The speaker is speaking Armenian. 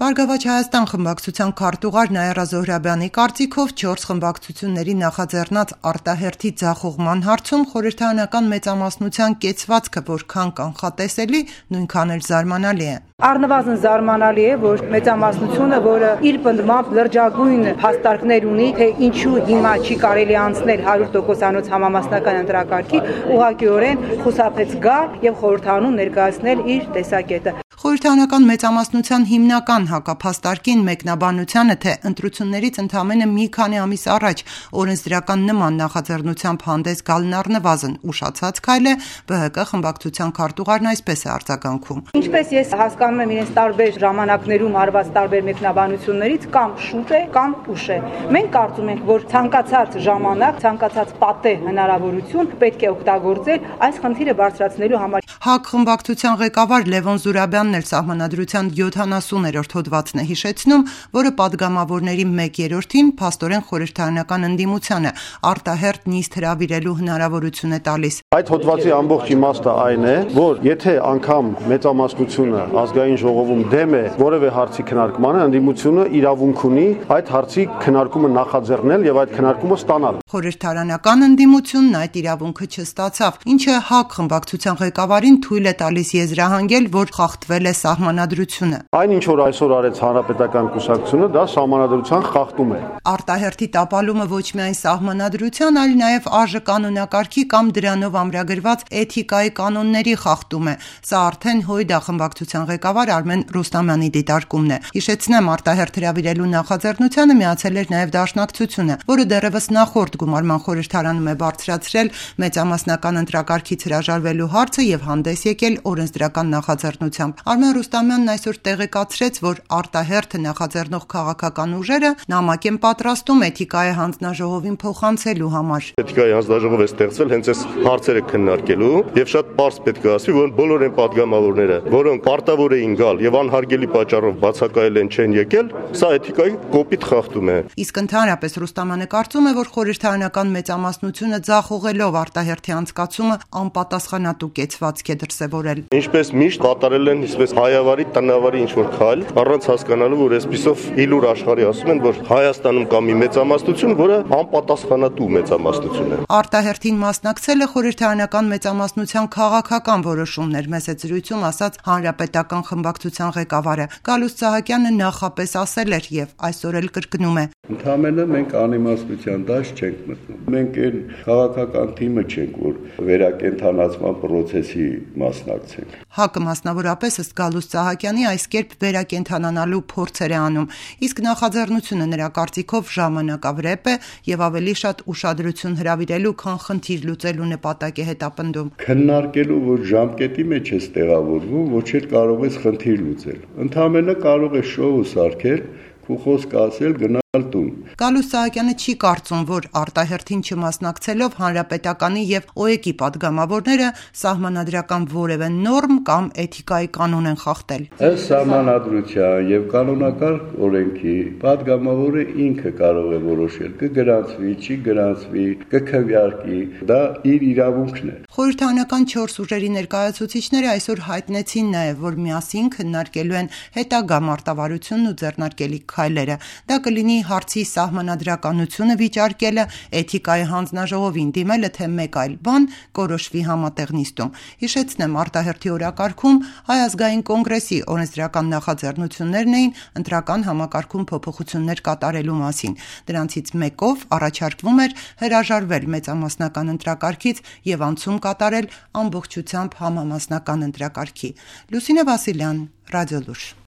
Բարգավաճ Հայաստան խմբակցության քարտուղար Նաիրա Զոհրաբյանի կարծիքով 4 խմբակցությունների նախաձեռնած արտահերթի ձախողման հարցում խորհրդարանական մեծամասնության կեցվածքը որքան կանխատեսելի, նույնքան էլ զարմանալի է։ Առնվազն զարմանալի է, որ մեծամասնությունը, որը իր պնդմամբ լրջագույն հաստարկներ ունի, թե ինչու հիմա չի կարելի անցնել 100%-անոց համամասնական ընտրակարգի, ուղղակիորեն խուսափեց գալ եւ խորհրդարանում ներկայացնել իր տեսակետը։ Խորհրդարանական մեծամասնության հիմնական հակափաստարկին մեկնաբանությանը, թե ընտրություններից ընդամենը մի քանի ամիս առաջ օրենսդրական նման նախաձեռնությամբ հանդես գալն առնվազն ուշացած քայլ է, ԲՀԿ խմբակցության քարտուղարն այսպես է արձագանքում։ Ինչպես ես հասկանում եմ իրենց տարբեր ժամանակներում արված տարբեր մեկնաբանություններից, կամ շուտ է, կամ ուշ է։ Մենք կարծում ենք, որ ցանկացած ժամանակ, ցանկացած պատեհ հնարավորություն պետք է օգտագործել այս խնդիրը բարձրացնելու համար։ ՀԱԿ խմբակցության ղեկավար Լևոն Զուրաբյանն էլ Սահմանադրության 70-րդ հոդվածն է հիշեցնում, որը падգամավորների 1/3-ին փաստորեն խորհրդարանական ընդդիմությանը արտահերթ նիստ հրավիրելու հնարավորություն է տալիս։ Այդ հոդվածի ամբողջ իմաստը այն է, որ եթե անգամ մեծամասնությունը ազգային ժողովում դեմ է որևէ հարցի քննարկմանը, ընդդիմությունը իրավունք ունի այդ հարցի քննարկումը նախաձեռնել եւ այդ քննարկումը ստանալ։ Խորհրդարանական ընդդիմությունն այդ իրավունքը չստացավ, ինչը ՀԱԿ խմբակցության ղեկավարին թույլ է տալիս եզրահանգել, որ խախտվել է սահմանադրությունը։ Այն ինչ որ այսօր արեց Հանրապետական կուսակցությունը, դա սահմանադրության խախտում է։ Արտահերթի տապալումը ոչ միայն սահմանադրության, այլ նաև ԱԺ կանոնակարգի կամ դրանով ամրագրված էթիկայի կանոնների խախտում է։ Սա արդեն ՀՅԴ խմբակցության ղեկավար Արմեն Ռուստամյանի դիտարկումն է։ Հիշեցնեմ, արտահերթ հրավիրելու նախաձեռնությանը միացել էր նաև Դաշնակցությունը, որը դեռևս նախորդ գումարման խորհրդարանում է բարձրացրել մեծամասնական ընտրակարգից հրաժարվելու հարցը եւ հանդես եկել օրենսդրական նախաձեռնությամբ։ Արմեն Ռուստամյանն այսօր տեղեկացրեց, որ արտահերթը նախաձեռնող քաղաքական ուժերը նամակ են պատրաստում էթիկայի հանձնաժողովին փոխանցելու համար։ Էթիկայի հանձնաժողով է ստեղծվել հենց այս հարցերը քննարկելու եւ շատ պարզ պետք է ասվի, որ բոլոր այն падգամավորները, որոնք պարտավոր էին գալ եւ անհարգելի պատճառով բացակայել են չեն եկել, սա էթիկայի կոպիտ խախտում է։ Իսկ ընդհանրապես Ռուստամյանը կարծում է, որ խորհրդարանական մեծամասնությունը ձախողելով արտահերթի անցկացումը անպատասխանատու կեցվածք է դրսևորել։ Ինչպես միշտ կատարել են իսպես հայավարի, տնավարի ինչ-որ քայլ, առանց հասկանալու, որ այսպիսով իլուր աշխարհի ասում են, որ Հայաստանում կա մի մեծամասնություն, որը անպատասխանատու մեծամասնություն է։ Արտահերթին մասնակցելը խորհրդարանական մեծամասնության քաղաքական որոշումներ, մեծ է զրույցում ասաց Հանրապետական խմբակցության ղեկավարը։ Գալուստ Սահակյանը նախապես ասել էր եւ այսօր էլ կրկնում է։ Ընդհանրապես մենք անիմաստության դաշ չենք մտնում։ Մենք այն քաղաքական թիմը չենք, որ վերակենդանացման process-ի մասնակցենք։ ՀԱԿ-ը մասնավորապես ըստ Գալուստ Սահակյանի այս կերպ վերակենդանանալու փորձեր է անում, իսկ նախաձեռնությունը նրա կարծիքով ժամանակավրեպ է եւ ավելի շատ ուշադրություն հրավիրելու, քան խնդիր լուծելու նպատակ է հետապնդում։ Քննարկելու, որ ժամկետի մեջ ես տեղավորվում, ոչ էլ կարող ես խնդիր լուծել։ Ընդհանրապես կարող է շոու սարքել, ու խոսք ասել գնալ տուն։ Գալուստ Սահակյանը չի կարծում, որ արտահերթին չմասնակցելով Հանրապետականի եւ ՕԵԿ-ի падգամավորները սահմանադրական որևէ նորմ կամ էթիկայի կանոն են խախտել։ Ըստ սահմանադրության եւ կանոնակարգ օրենքի падգամավորը ինքը կարող է որոշել կգրանցվի, չի գրանցվի, կքվեարկի, դա իր իրավունքն է։ Խորհրդարանական 4 ուժերի ներկայացուցիչները այսօր հայտնեցին նաեւ, որ միասին քննարկելու են հետագա մարտավարությունն ու ձեռնարկելիք քայլերը։ Դա կլինի հարցի սահմանադրականությունը վիճարկելը, էթիկայի հանձնաժողովին դիմելը, թե մեկ այլ բան կորոշվի համատեղ նիստում։ Հիշեցնեմ, արտահերթի օրակարգում Հայ ազգային կոնգրեսի օրենսդրական նախաձեռնություններն էին ընտրական համակարգում փոփոխություններ կատարելու մասին։ Դրանցից մեկով առաջարկվում էր հրաժարվել մեծամասնական ընտրակարգից եւ անցում կատարել ամբողջությամբ համամասնական ընտրակարգի։ Լուսինե Վասիլյան, Ռադիոլուր։